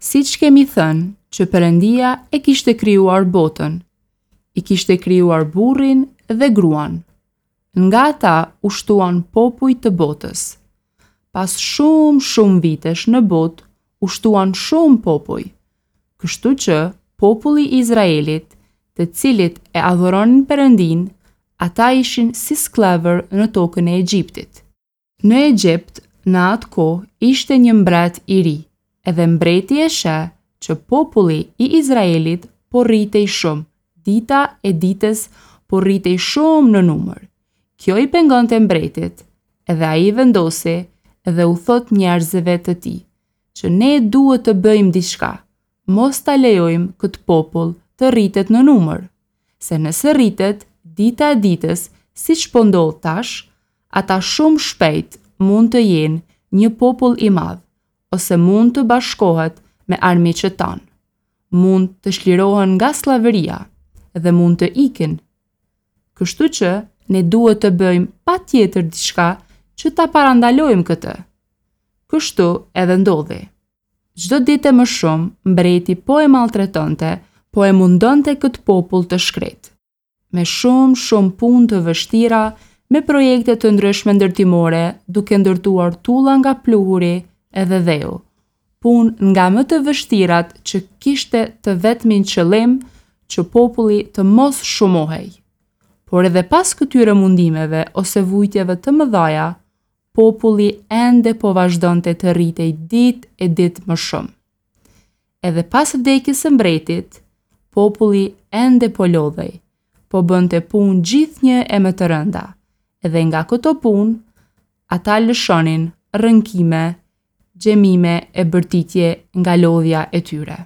Siç kemi thënë që Perëndia e kishte krijuar botën, i kishte krijuar burrin dhe gruan. Nga ata u shtuan popuj të botës. Pas shumë shumë vitesh në botë u shtuan shumë popuj. Kështu që populli i Izraelit, të cilët e adhuronin Perëndinë, ata ishin si skllevër në tokën e Egjiptit. Në Egjipt, në atë kohë, ishte një mbret i ri, edhe mbreti e sheh që populli i Izraelit po rritej shumë, dita e ditës po rritej shumë në numër. Kjo i pengonte mbretit, edhe ai vendosi dhe u thotë njerëzve të tij, që ne duhet të bëjmë diçka, mos ta lejojmë këtë popull të rritet në numër, se nëse rritet dita e ditës siç po ndodh tash, ata shumë shpejt mund të jenë një popull i madh ose mund të bashkohet me armiqët tanë, mund të çlirohen nga skllavëria dhe mund të ikin. Kështu që ne duhet të bëjmë patjetër diçka që ta parandalojmë këtë. Kështu edhe ndodhi. Çdo ditë e më shumë mbreti po e maltretonte, po e mundonte këtë popull të shkretë. Me shumë, shumë punë të vështira, me projekte të ndryshme ndërtimore, duke ndërtuar tulla nga pluhuri edhe dheu. Punë nga më të vështirat që kishte të vetmin qëllim që populli të mos shumohej. Por edhe pas këtyre mundimeve ose vujtjeve të mëdhaja, populli ende po vazhdonte të rritej ditë e ditë më shumë. Edhe pas vdekjes së mbretit, populli ende po lodhej, po bënte punë gjithnjë e më të rënda, edhe nga këto punë, ata lëshonin rënkime, gjemime e bërtitje nga lodhja e tyre.